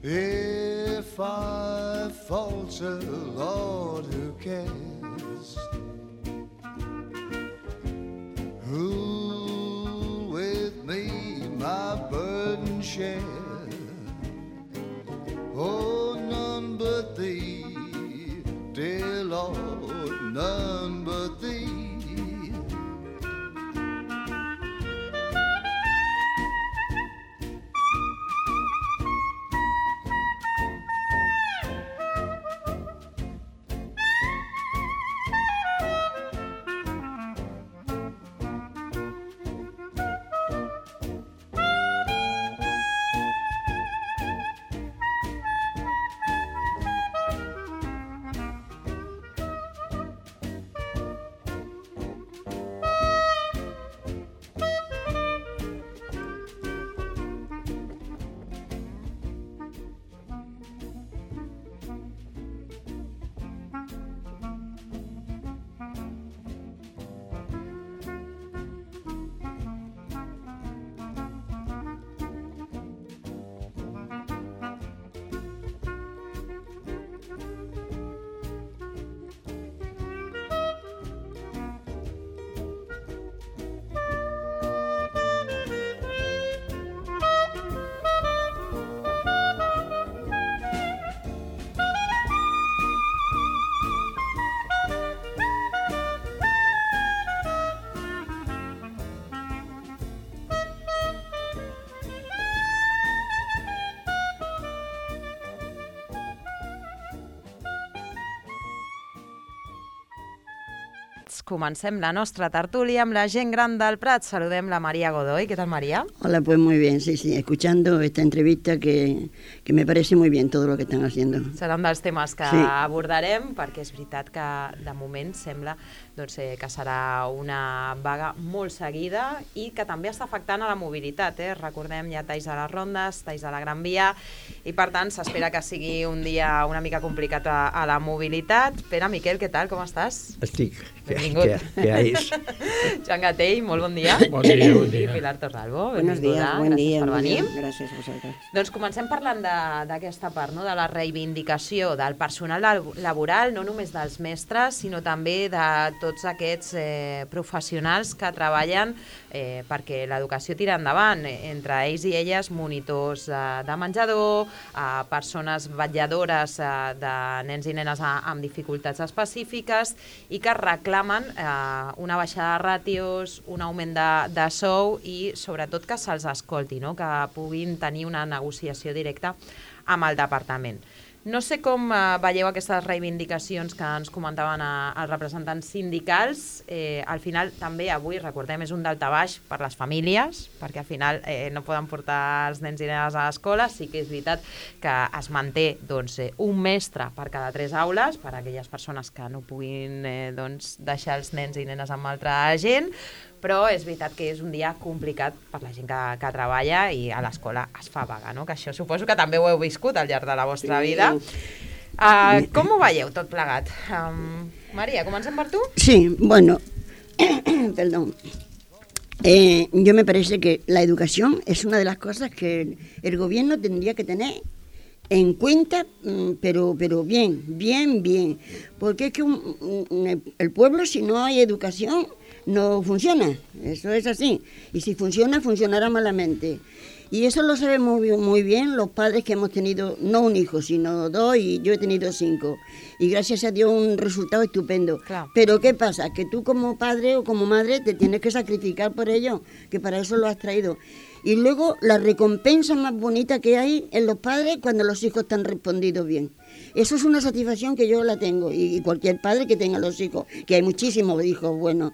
If I falter, Lord, who cares? Who with me my burden share? Oh, none but Thee, dear Lord, none but Thee. Comencem la nostra tertúlia amb la gent gran del Prat. Saludem la María Godoy. ¿Qué tal, María? Hola, pues muy bien, sí, escuchando esta entrevista que me parece muy bien todo lo que están haciendo. Serà un dels temes que abordarem, perquè és veritat que de moment sembla que serà una vaga molt seguida i que també està afectant a la mobilitat. Recordem, hi ha talls a les rondes, talls a la Gran Via, i per tant s'espera que sigui un dia una mica complicat a la mobilitat. Pere, Miquel, què tal? Com estàs? Estic. Benvingut. Què és? Joan Gatell, molt bon dia. Bon dia, bon dia. Pilar Torralbo, Buenos días, buen gràcies día. per venir. Gràcies a vosaltres. Doncs comencem parlant d'aquesta part, no? De la reivindicació del personal laboral, no només dels mestres, sinó també de tots aquests professionals que treballen perquè l'educació tira endavant, entre ells i elles monitors de menjador, persones vetlladores de nens i nenes amb dificultats específiques i que reclamen una baixada de ràtios, un augment de sou i sobretot que se'ls escolti, no? Que puguin tenir una negociació directa amb el departament. No sé com veieu aquestes reivindicacions que ens comentaven els representants sindicals. Al final també avui, recordem, és un daltabaix per les famílies, perquè al final no poden portar els nens i nenes a l'escola. Sí que és veritat que es manté un mestre per cada 3 aules, per a aquelles persones que no puguin deixar els nens i nenes amb altra gent, però és veritat que és un dia complicat per la gent que treballa i a l'escola es fa vaga, no? Que això suposo que també ho heu viscut al llarg de la vostra vida. Com ho veieu tot plegat? María, comencem per tu? Sí, bueno, perdón. Yo me parece que la educación es una de las cosas que el gobierno tendría que tener en cuenta, pero bien, porque es que el pueblo, si no hay educación, no funciona, eso es así, y si funciona, funcionará malamente. Y eso lo sabemos muy bien los padres que hemos tenido, no un hijo, sino 2, y yo he tenido 5. Y gracias a Dios un resultado estupendo. Claro. Pero ¿qué pasa? Que tú como padre o como madre te tienes que sacrificar por ello, que para eso lo has traído. Y luego la recompensa más bonita que hay en los padres cuando los hijos están respondidos bien. Eso es una satisfacción que yo la tengo, y cualquier padre que tenga los hijos, que hay muchísimos hijos buenos.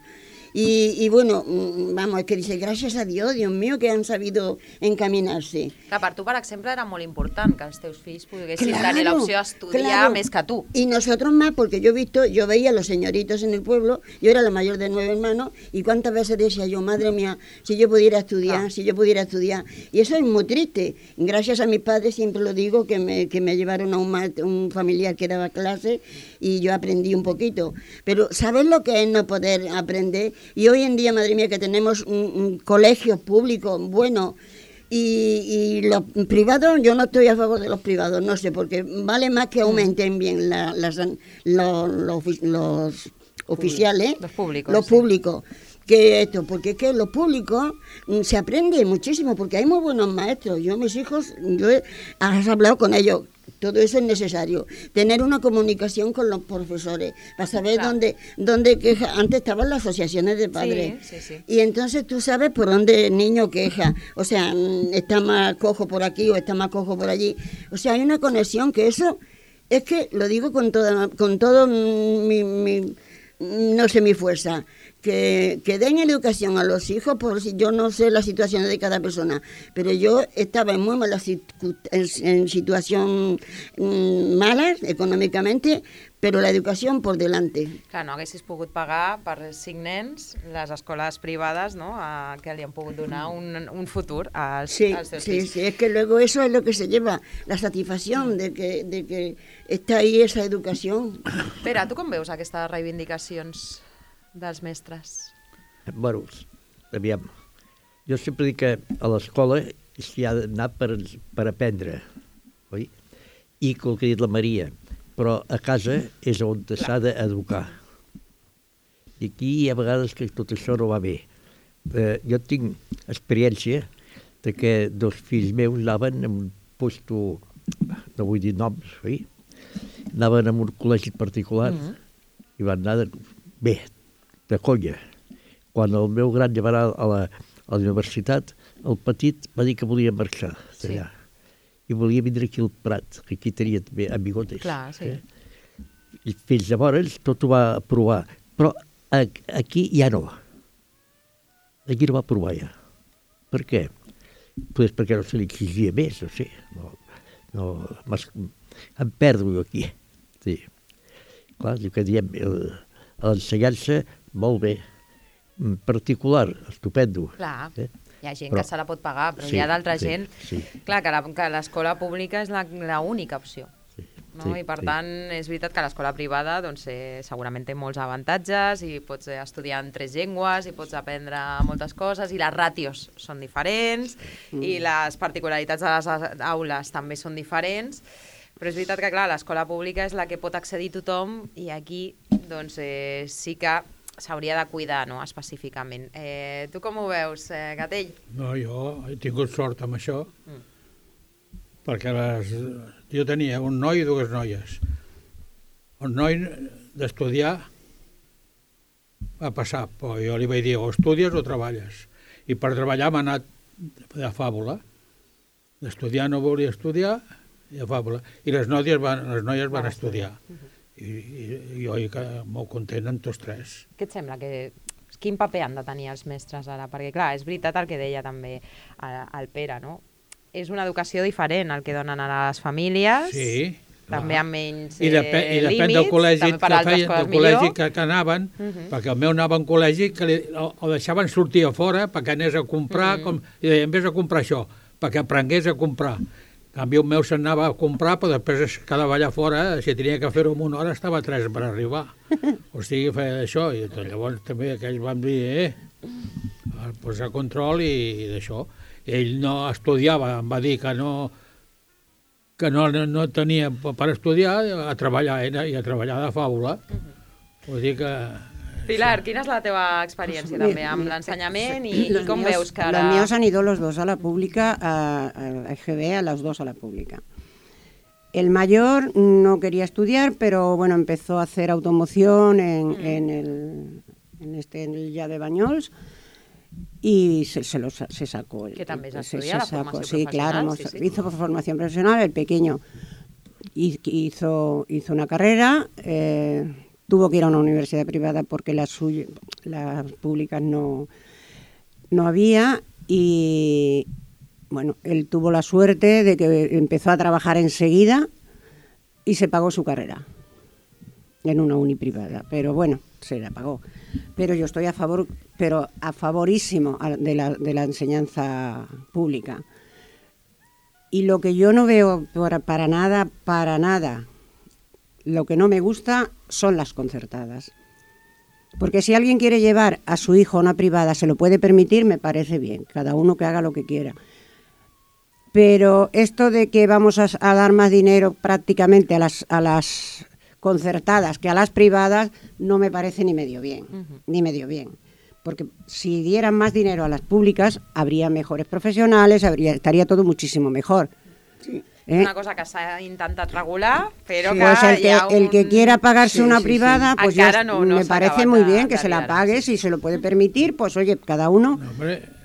I bueno, vamos, és que dice, gràcies a Dios, Dios mío, que han sabido encaminarse. Que per tu, per exemple, era molt important que els teus fills poguessin tenir l'opció d'estudiar més que tu. Y nosotros más, porque yo veía a los señoritos en el pueblo, yo era la mayor de 9 hermanos, y cuántas veces decía yo, madre mía, si yo pudiera estudiar, si yo pudiera estudiar. Y eso es muy triste. Gracias a mis padres, siempre lo digo, que me llevaron a un familiar que daba clases, y yo aprendí un poquito. Pero ¿sabes lo que es no poder aprender? Y hoy en día, madre mía, que tenemos colegios públicos buenos, Y los privados, yo no estoy a favor de los privados, no sé, porque vale más que aumenten bien los oficiales, los públicos, que esto, porque es que los públicos se aprende muchísimo, porque hay muy buenos maestros. Yo, mis hijos, has hablado con ellos, todo eso es necesario. Tener una comunicación con los profesores, para saber dónde queja. Antes estaban las asociaciones de padres, sí. Y entonces tú sabes por dónde el niño queja. O sea, está más cojo por aquí o está más cojo por allí. O sea, hay una conexión que eso, es que lo digo con todo mi no sé, mi fuerza. Que den educación a los hijos, por si yo no sé las situaciones de cada persona, pero yo estaba en muy mala en situación mala econòmicamente, però l'educació por delante. Clar, no haguessis pogut pagar per 5 nens les escoles privades, no?, que li han pogut donar un futur als seus fills. Sí, es que luego eso es lo que se lleva, la satisfacción de que está ahí esa educación. Pere, tu com veus aquestes reivindicacions dels mestres? Bueno, aviam, jo sempre dic que a l'escola s'hi ha d'anar per aprendre, oi? I el que ha dit la Maria, però a casa és on s'ha d'educar. I aquí hi ha vegades que tot això no va bé. Jo tinc experiència de que dos fills meus anaven en un puesto, no vull dir noms, oi? Anaven en un col·legi particular i van anar bé, de conya. Quan el meu gran ja va anar a la universitat, el petit va dir que volia marxar d'allà. I volia vindre aquí al Prat, que aquí tenia també amigotes. Clar, sí. I fins llavors tot ho va aprovar. Però aquí ja no. Aquí no va aprovar ja. Per què? Pues perquè no se li exigia més, no sé. Em perdo jo aquí. Sí. Clar, el que diem, l'ensenyança, molt bé. Particular, estupendo. Clar, hi ha gent que se la pot pagar, però hi ha d'altra gent... Clar, que l'escola pública és l'única opció. I per tant, és veritat que l'escola privada segurament té molts avantatges i pots estudiar en 3 llengües i pots aprendre moltes coses i les ràtios són diferents i les particularitats de les aules també són diferents. Però és veritat que, clar, l'escola pública és la que pot accedir tothom i aquí sí que s'hauria de cuidar, no?, específicament. Tu com ho veus, Gatell? No, jo he tingut sort amb això, perquè jo tenia un noi i 2 noies. El noi d'estudiar va passar, però jo li vaig dir o estudies o treballes. I per treballar m'ha anat de fàbula. D'estudiar no volia estudiar, i de fàbula. I les noies van estudiar. I jo molt content amb tots 3. Què et sembla? Quin paper han de tenir els mestres ara? Perquè, clar, és veritat el que deia també el Pere, no? És una educació diferent el que donen a les famílies, també amb menys límits, depèn del col·legi que anaven, perquè el meu anava a un col·legi que el deixaven sortir a fora perquè anés a comprar, i deien, vés a comprar això, perquè aprengués a comprar. En canvi, el meu s'anava a comprar, però després es quedava allà fora, si tenia que fer-ho en 1 hora, estava 3 per arribar. O sigui, feia això, i llavors també aquells van dir, posar control i d'això. Ell no estudiava, em va dir que no tenia per estudiar, a treballar, i a treballar de fàbula. Vull dir que... Pilar, quina és la teva experiència també amb l'ensenyament i com veus que ara... Los míos han ido los 2 a la pública, a EGB, a los 2 a la pública. El mayor no quería estudiar, pero bueno, empezó a hacer automoción en el ya de Banyols y se sacó. Que també es estudia la formació professional. Sí, claro, hizo formación profesional, el pequeño hizo una carrera, tuvo que ir a una universidad privada porque las públicas no había y bueno, él tuvo la suerte de que empezó a trabajar enseguida y se pagó su carrera en una uni privada, pero bueno, se la pagó. Pero yo estoy a favorísimo de la enseñanza pública. Y lo que yo no veo para nada, lo que no me gusta son las concertadas. Porque si alguien quiere llevar a su hijo a una privada, se lo puede permitir, me parece bien. Cada uno que haga lo que quiera. Pero esto de que vamos a dar más dinero prácticamente a las concertadas que a las privadas no me parece ni medio bien, ni medio bien. Porque si dieran más dinero a las públicas, habría mejores profesionales, estaría todo muchísimo mejor. Sí. Una cosa que s'ha intentat regular, però sí, que el que quiera pagarse una privada, pues ya me parece muy bien que se la pague, si se lo puede permitir, pues oye, cada uno,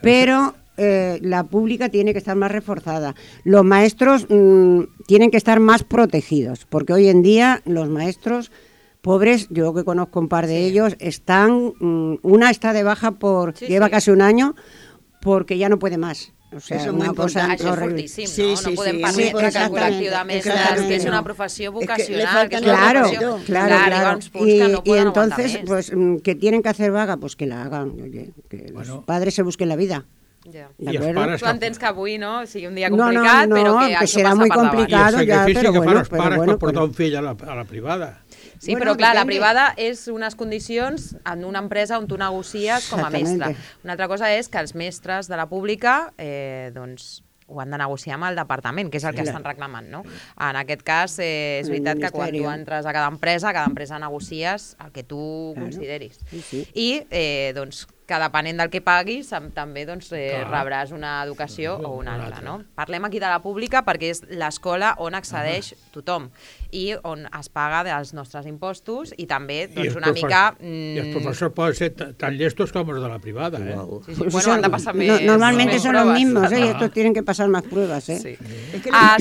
pero la pública tiene que estar más reforzada. Los maestros tienen que estar más protegidos, porque hoy en día los maestros pobres, yo que conozco un par de ellos, están, una está de baja lleva casi un año porque ya no puede más. O sea, això una cosa horrible. Això és fortíssim, no? No podem permetre que el col·lectiu de mestres, que és una professió vocacional, que es una professió... Claro. Y entonces, pues, que tienen que hacer vaga, pues que la hagan. Oye, que los padres se busquen la vida. Ja. Tu entens que avui no sigui un dia complicat, però que això serà passa muy per complicado, ja, però bueno. I el sacrifici que fan els pares per portar un fill a la privada. Sí, però clar, la privada és unes condicions en una empresa on tu negocies com a mestre. Una altra cosa és que els mestres de la pública doncs ho han de negociar amb el departament, que és el que estan reclamant, no? En aquest cas, és veritat que quan tu entres a cada empresa negocies el que tu consideris. I, doncs, que depenent del que paguis, també rebràs una educació o una altra, no? Parlem aquí de la pública perquè és l'escola on accedeix tothom i on es paga dels nostres impostos i també, doncs, una mica... I els professors poden ser tan llestos com els de la privada, eh? Bueno, han de passar més... Normalmente son los mismos, y estos tienen que pasar más pruebas, eh?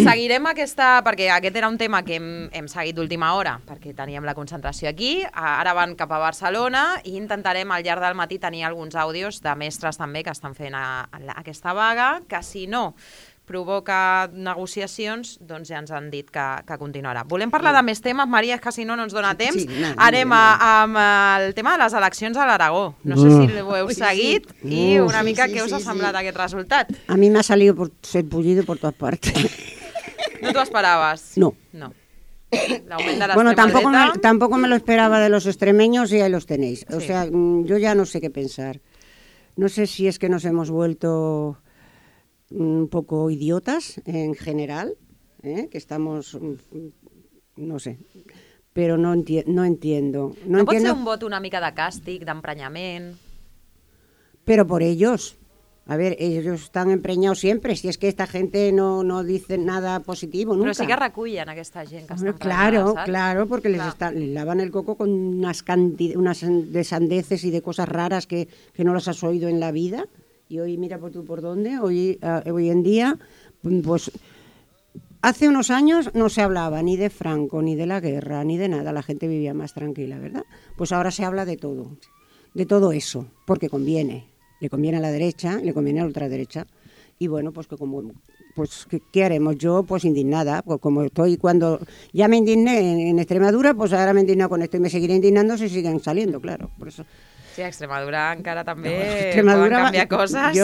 Seguirem aquesta... perquè aquest era un tema que hem seguit d'última hora, perquè teníem la concentració aquí, ara van cap a Barcelona i intentarem al llarg del matí tenir alguns àudios de mestres també que estan fent aquesta vaga, que si no provoca negociacions, doncs ja ens han dit que continuarà. Volem parlar de més temes, Maria, que si no ens dona temps. Anem amb el tema de les eleccions a l'Aragó. No sé si ho heu seguit i una mica què us ha semblat aquest resultat. A mi m'ha salido por ser bullido por todas partes. ¿No t'ho esperaves? No. Bueno, tampoco me lo esperaba de los extremeños y ahí los tenéis. O sea, yo ya no sé qué pensar. No sé si es que nos hemos vuelto un poco idiotas en general, que estamos, no sé, pero no entiendo. No pot ser un vot una mica de càstig, d'emprenyament? Pero por ellos. A ver, ellos están empreñados siempre, si es que esta gente no dice nada positivo nunca. Però sí que recullen aquesta gent que està emprenyada, ¿sabes? Claro, porque les lavan el coco con unas de sandeces y de cosas raras que no las has oído en la vida. Y hoy, mira por tú por dónde, hoy en día, pues hace unos años no se hablaba ni de Franco, ni de la guerra, ni de nada, la gente vivía más tranquila, ¿verdad? Pues ahora se habla de todo eso, porque conviene. Le conviene a la derecha, le conviene a la ultraderecha. Y bueno, pues ¿qué haremos? Yo, pues indignada, pues como estoy cuando ya me indigné en Extremadura, pues ahora me he indignado con esto y me seguiré indignando si siguen saliendo, claro, por eso. Sí, a Extremadura encara també poden canviar coses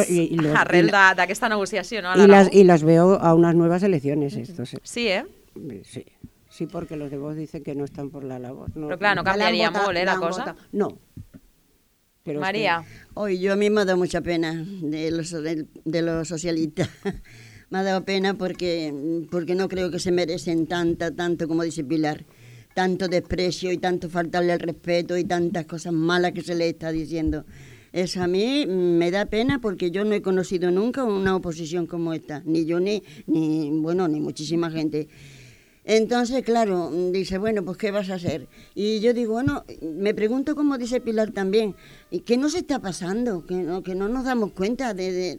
arrel d'aquesta negociació, no? Y las veo a unas nuevas elecciones estos. Sí, ¿eh? Sí, porque los de Vox dicen que no están por la labor. Però clar, no canviaria molt, la cosa? No. Pero María. Hoy yo a mí me ha dado mucha pena de los socialistas. Me ha dado pena porque no creo que se merecen tanto como dice Pilar, tanto desprecio y tanto faltarle el respeto y tantas cosas malas que se le está diciendo. Eso a mí me da pena porque yo no he conocido nunca una oposición como esta, ni yo ni muchísima gente. Entonces, claro, dice, bueno, pues ¿qué vas a hacer? Y yo digo, bueno, me pregunto como dice Pilar también, ¿qué nos está pasando? Que no nos damos cuenta de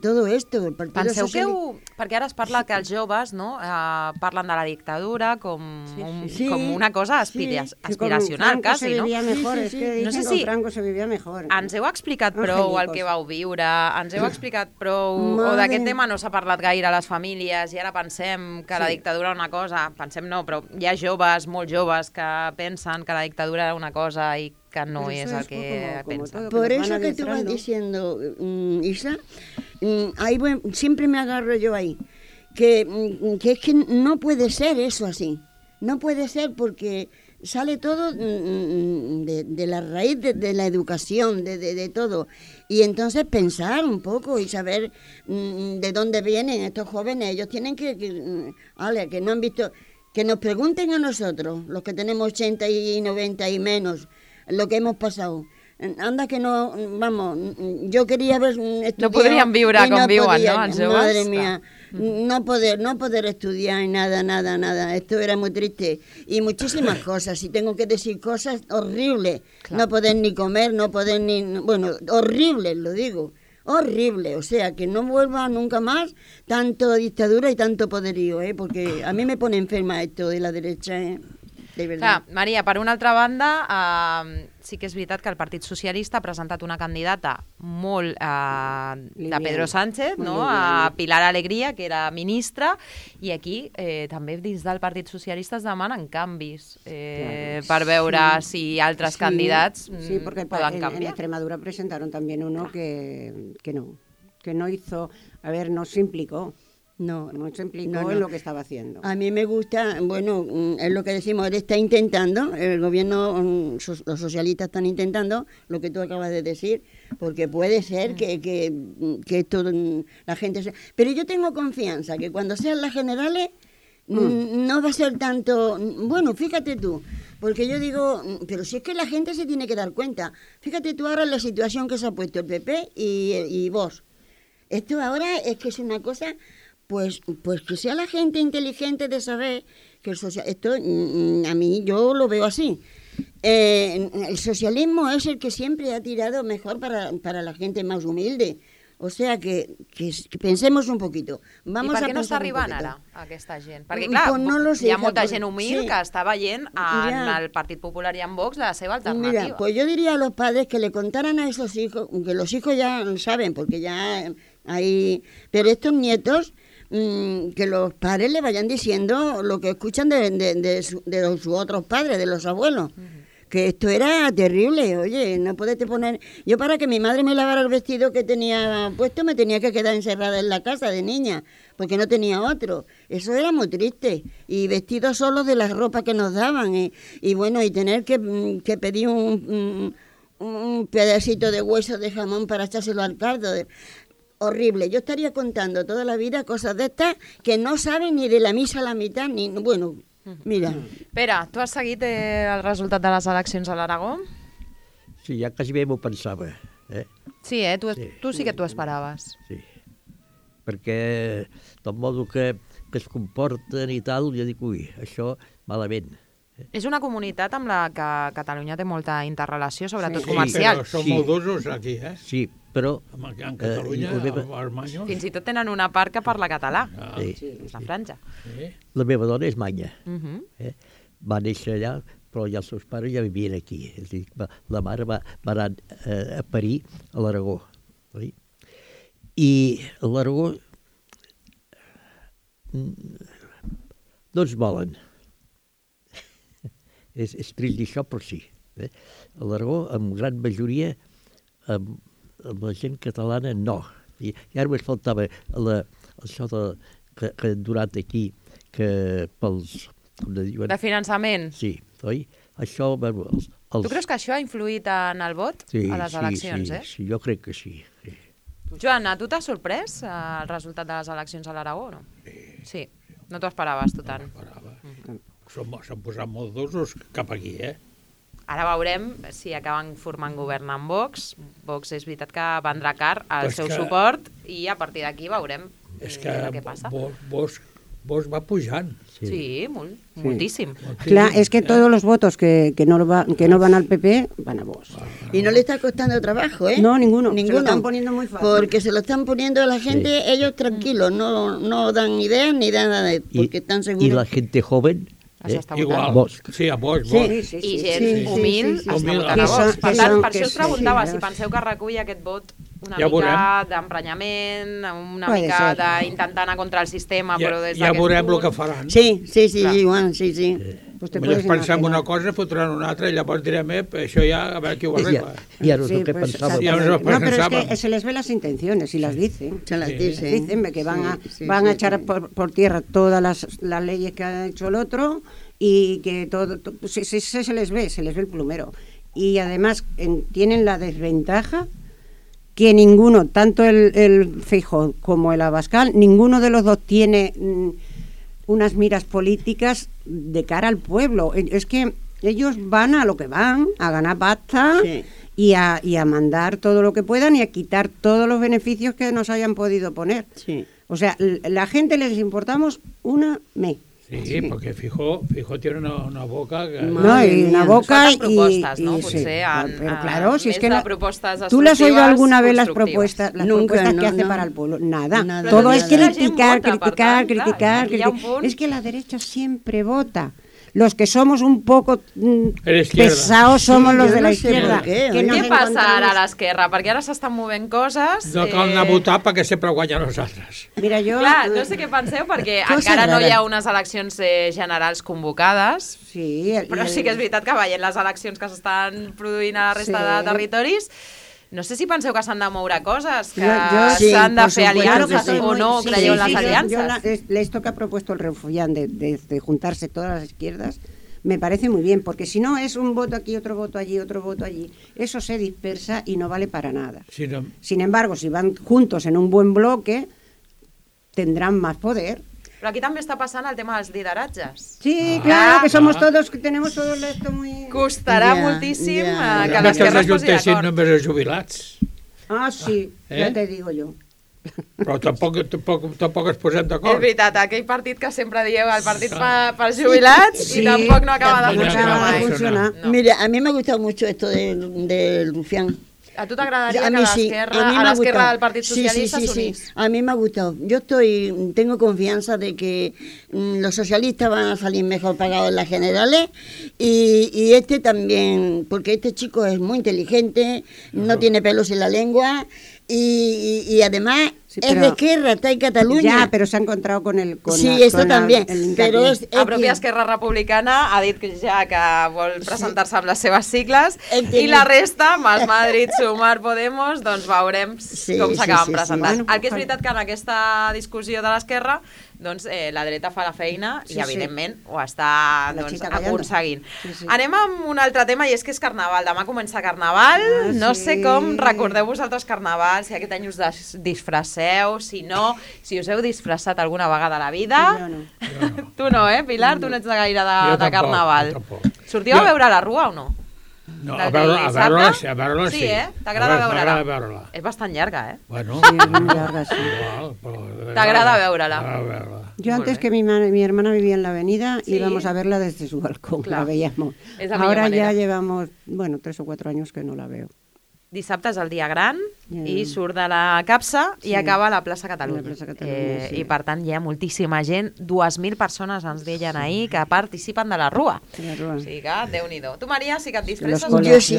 tot esto. Penseu que perquè ara es parla que els joves parlen de la dictadura com una cosa aspiracional, quasi, no? No sé si Franco se vivia mejor. Ens heu explicat prou el que vau viure, ens heu explicat prou, o d'aquest tema no s'ha parlat gaire a les famílies i ara pensem que la dictadura era una cosa, pensem no, però hi ha joves, molt joves, que pensen que la dictadura era una cosa i que no es el que piensa. Por eso que tú vas diciendo, Isa, ahí siempre me agarro yo ahí, que es que no puede ser eso así. No puede ser porque sale todo de la raíz de la educación, de todo. Y entonces pensar un poco y saber de dónde vienen estos jóvenes. Ellos tienen que no han visto, que nos pregunten a nosotros, los que tenemos 80 y 90 y menos, lo que hemos pasado. Anda que no, vamos, yo quería haber estudiado. No podrían viure com viuen, no, els joves? Madre mía, no poder estudiar y nada. Esto era muy triste. Y muchísimas cosas, si tengo que decir cosas horribles. Claro. No poder ni comer, no poder ni... Bueno, horribles, lo digo. Horrible, o sea, que no vuelva nunca más tanto dictadura y tanto poderío, porque a mí me pone enferma esto de la derecha, de verdad. Clar, Maria, per una altra banda, sí que és veritat que el Partit Socialista ha presentat una candidata molt de Pedro Sánchez, no? A Pilar Alegría, que era ministra, i aquí també dins del Partit Socialista es demanen canvis per veure si altres candidats poden canviar. En Extremadura presentaron también uno que no hizo, no se implicó. No se implicó en lo que estaba haciendo. A mí me gusta, bueno, es lo que decimos, él está intentando, el gobierno, los socialistas están intentando lo que tú acabas de decir, porque puede ser que esto la gente... Pero yo tengo confianza que cuando sean las generales no va a ser tanto... Bueno, fíjate tú, porque yo digo, pero si es que la gente se tiene que dar cuenta. Fíjate tú ahora en la situación que se ha puesto el PP y Vox. Esto ahora es que es una cosa... Pues que sea la gente inteligente de saber que esto a mí yo lo veo así. El socialismo es el que siempre ha tirado mejor para la gente más humilde. O sea, que pensemos un poquito. Vamos. I per què no està arribant ara aquesta gent? Perquè, clar, pues no lo sé, hi ha molta gent humil que està veient en el Partit Popular i en Vox la seva alternativa. Mira, pues yo diría a los padres que le contaran a esos hijos, que los hijos ya saben, porque ya hay... Pero estos nietos... que los padres le vayan diciendo lo que escuchan de sus otros padres, de los abuelos. Que esto era terrible, oye, no puedes poner... Yo para que mi madre me lavara el vestido que tenía puesto me tenía que quedar encerrada en la casa de niña, porque no tenía otro. Eso era muy triste. Y vestidos solo de las ropas que nos daban. Y bueno, y tener que pedir un pedacito de hueso de jamón para echárselo al caldo. Horrible. Yo estaría contando toda la vida cosas de estas que no saben ni de la misa a la mitad, ni... Bueno, mira. Pere, tu has seguit el resultat de les eleccions a l'Aragó? Sí, ja quasi bé m'ho pensava. Sí, tu sí que t'ho esperaves. Sí, perquè del modo que es comporten i tal, jo dic, ui, això malament. És una comunitat amb la que Catalunya té molta interrelació, sobretot comercial. Però són molt d'usos aquí, Sí, però... En Catalunya, als fins i tot tenen una part que parla català, la franja. La meva dona és manya. Va néixer allà, però ja els seus pares ja vivien aquí. És a dir, la mare va anar a parir a l'Aragó. I a l'Aragó no ens volen. És trist dir això, però sí. A l'Aragó, amb gran majoria, amb la gent catalana, no. I ara només faltava això que han durat aquí, que pels... De finançament? Sí, oi? Això... Tu creus que això ha influït en el vot a les eleccions, Sí, jo crec que sí. Joan, a tu t'ha sorprès el resultat de les eleccions a l'Aragó, no? Sí. No t'ho esperaves, tu tant? No m'esperava. S'han posat molt d'usos cap aquí, Ara veurem si acaben formant govern amb Vox. Vox és veritat que vendrà car el seu suport i a partir d'aquí veurem què passa. Vox va pujant. Sí, moltíssim. Claro, es que todos los votos que no van al PP van a Vox. Y no le está costando trabajo, No, ninguno. Se lo están poniendo muy fácil. Porque se lo están poniendo a la gente, ellos tranquilos, no dan ideas ni dan nada, porque están seguros. Y la gente joven... Igual, sí, a Vox. I gent humil està votant a Vox. Per tant, per això us preguntava si penseu que recull aquest vot una mica d'emprenyament, una mica d'intentar anar contra el sistema, però des d'aquest punt... Ja veurem el que faran. Sí, Joan, sí. Potser pensem una cosa, fotran una altra, i llavors direm, això ja, a veure qui ho arregla. Ja no és el que pensava. No, pero es que se les ve las intenciones y las dicen. Se las dicen. Dicen que van a echar por tierra todas las leyes que ha hecho el otro y que todo se les ve el plumero. Y además tienen la desventaja que ninguno, tanto el Feijóo como el Abascal, ninguno de los dos tiene unas miras políticas de cara al pueblo. Es que ellos van a lo que van, a ganar pasta y a mandar todo lo que puedan y a quitar todos los beneficios que nos hayan podido poner. Sí. O sea, la gente les importamos una me. Sí, porque Feijóo tiene una boca... No, y una boca y... propostes, no? Potser pero claro, si es que ¿tú le has oído alguna vez las propuestas que hace para el pueblo? Nada. Todo es criticar. Es que la derecha siempre vota. Los que somos un poco pesados somos los de la izquierda. Què passa ara a l'esquerra? Perquè ara s'estan movent coses... No cal anar a votar perquè sempre guanyen nosaltres. Mira, jo... Clar, no sé què penseu, perquè encara no hi ha unes eleccions generals convocades, però sí que és veritat que veient les eleccions que s'estan produint a la resta de territoris, no sé si penseu que s'han de moure coses, que s'han de fer aliances o no creieu en las alianzas. Esto que ha propuesto el Refugián de juntarse todas las izquierdas me parece muy bien, porque si no es un voto aquí, otro voto allí, otro voto allí, eso se dispersa y no vale para nada. Sin embargo, si van juntos en un buen bloque, tendrán más poder. Però aquí també està passant el tema dels lideratges. Sí, claro, que somos todos, que tenemos todo esto muy... Costarà moltíssim que l'esquerra es posi d'acord. Només els jubilats. Ah, sí, ja te digo jo. Però tampoc es posem d'acord. És veritat, aquell partit que sempre dieu, el partit pels jubilats, i tampoc no acaba de funcionar. Mira, a mí me ha gustado mucho esto del Rufián. ¿A tú te agradaría que a la izquierda del Partido Socialista se unís? Sí, a mí me ha gustado. Yo tengo confianza de que los socialistas van a salir mejor pagados en las generales y este también, porque este chico es muy inteligente, no tiene pelos en la lengua y además... Sí, es de Esquerra, está en Cataluña. Ya, pero se ha encontrado con el... Sí, esto también. Però la pròpia Esquerra Republicana ha dit ja que vol presentar-se amb les seves sigles i la resta, Más Madrid, Sumar, Podemos, doncs veurem com s'acaben presentant. El que és veritat que en aquesta discussió de l'Esquerra doncs la dreta fa la feina i evidentment ho està aconseguint. Anem amb un altre tema i és que és Carnaval. Demà comença Carnaval, no sé com recordeu vosaltres Carnaval, si aquest any us disfresseu, si no, si us heu disfressat alguna vegada a la vida. Jo no. Tu no, Pilar? Tu no ets gaire de Carnaval. Sortiu a veure la Rua o no? No, a veure-la sí. Sí, t'agrada veure-la? veure-la. És bastant llarga, Bueno, sí, és molt llarga, sí. T'agrada veure-la? Yo antes que mi hermana vivía en la avenida, íbamos a verla desde su balcón, la veíamos. Ahora ya llevamos, 3 o 4 años que no la veo. Dissabte és el dia gran i surt de la capsa i acaba a la plaça Catalunya. I per tant hi ha moltíssima gent, 2.000 persones ens deien ahir que participen de la Rua. O sigui que Déu-n'hi-do. Tu, María, sí que et disfresses? Yo sí,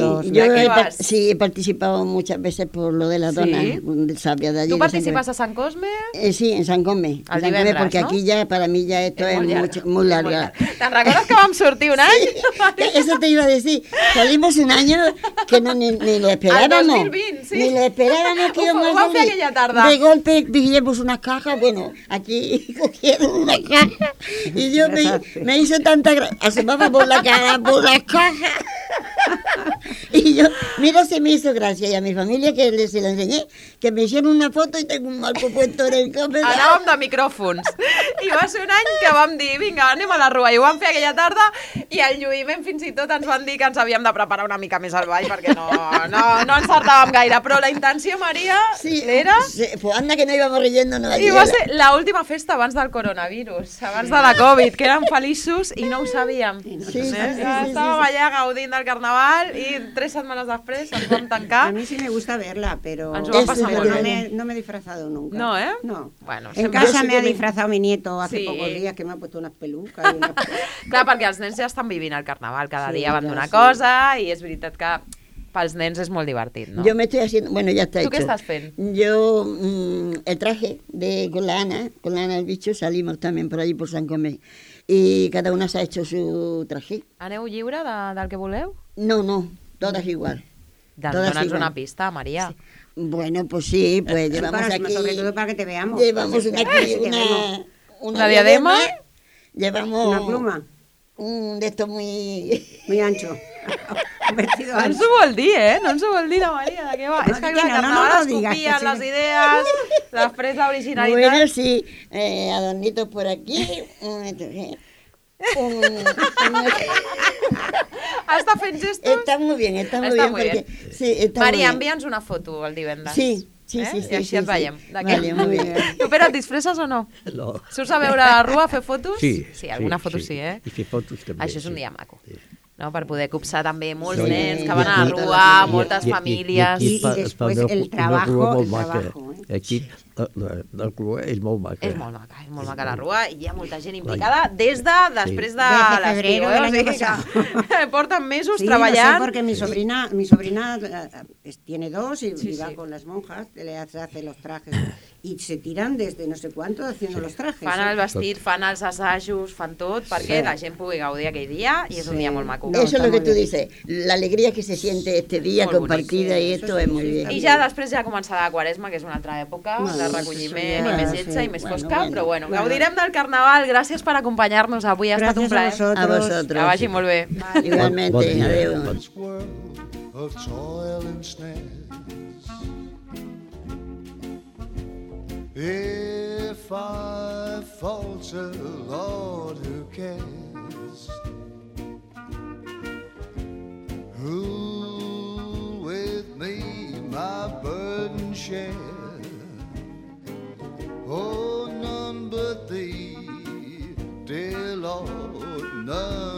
sí he participado muchas veces por lo de la dona de Sabia de allí. ¿Tú participas a San Cosme? Sí, en San Cosme. El divendres, porque aquí ya, para mí ya esto es muy larga. ¿Te'n recordes que vam sortir un any? Eso te iba a decir. Salimos un año que ni lo esperábamos. El 2020, sí. Ni lo esperábamos que íbamos a salir. Fue aquella tarda. De golpe dijimos unas cajas, aquí cogieron una caja y yo me hizo tanta gracia. Asomaba por la cara, por las cajas. Y yo, mira, se me hizo gracia. Y a mi familia, que se la enseñé, que me hicieron una foto y tengo un marco puesto en el cofre. Anàvem de micròfons. I va ser un any que vam dir, vinga, anem a la Rua. I ho vam fer aquella tarda i al lluïment fins i tot ens van dir que ens havíem de preparar una mica més al ball perquè no encertàvem gaire. Però la intenció, Maria, era... Sí, pues anda que no íbamos riendo. I va ser l'última festa abans del coronavirus, abans de la Covid, que érem feliços i no ho sabíem. Estàvem allà gaudint del Carnaval i 3 setmanes després ens vam tancar. A mí sí me gusta verla, pero no me he disfrazado nunca. No, No. Bueno, en casa me ha disfrazado mi nieto hace pocos días, que me ha puesto unas pelucas. Clar, perquè els nens ja estan vivint el Carnaval, cada dia van d'una cosa i és veritat que pels nens és molt divertit, no? Yo me estoy haciendo, bueno, ya está ¿Tú hecho. qué estás fent? Yo, el traje con la Ana el bicho, salimos también por allí por San Comé. Y cada una se ha hecho su traje. Aneu lliure del que voleu? No, todas igual. Dona'ns una pista, María. Sí. Bueno, pues sí, pues llevamos aquí... Sobre todo para que te veamos. Llevamos aquí una diadema. Llevamos... Una pluma. Un de estos muy... Muy ancho. Un vestido No ens ancho. ho vol dir, No ens ho vol dir la Maria, de què va? És que clar, carnaval es copien les idees, després l'originalitat... Bueno, sí, adornitos por aquí... Està fent gestos? Está muy bien, Està molt bé. porque... Sí, está Maria, muy bien. envia'ns una foto el divendres. Sí. I així et veiem. Vale, muy bien. Tu, Pere, et disfresses o no? No. Surts a veure la rua a fer fotos? Sí. Sí, alguna foto sí, I fer fotos també. Això és un dia maco. No? Per poder copsar també molts Sí. nens que van a la rua, moltes famílies... I després el trabajo, Aquí la rua és molt maca. És molt maca la rua i hi ha molta gent implicada després de Desde l'estiu. febrero del año Que porten mesos Sí, treballant. no sé, porque mi sobrina tiene dos y va con las monjas, le hace los trajes y se tiran desde no sé cuánto haciendo los trajes. Fan el vestit, fan els assajos, fan tot perquè la gent pugui gaudir aquell dia i és un dia molt maco. No, Eso es lo está que muy tú bien. dices, la alegría que se siente este día Molt compartida y esto es muy bien. I ja després ja començarà la Quaresma, que és una altra època de recolliment i més lletja i més fosca, però bueno, gaudirem del Carnaval. Gràcies per acompanyar-nos avui, ha estat un Gracias a plaer. vosotros. Que vagi molt bé. Igualmente, Bon dia. adeu. This world of toil and snares. If I falter, Lord, who cares? Who with me my burden share? Oh, none but thee, dear Lord, none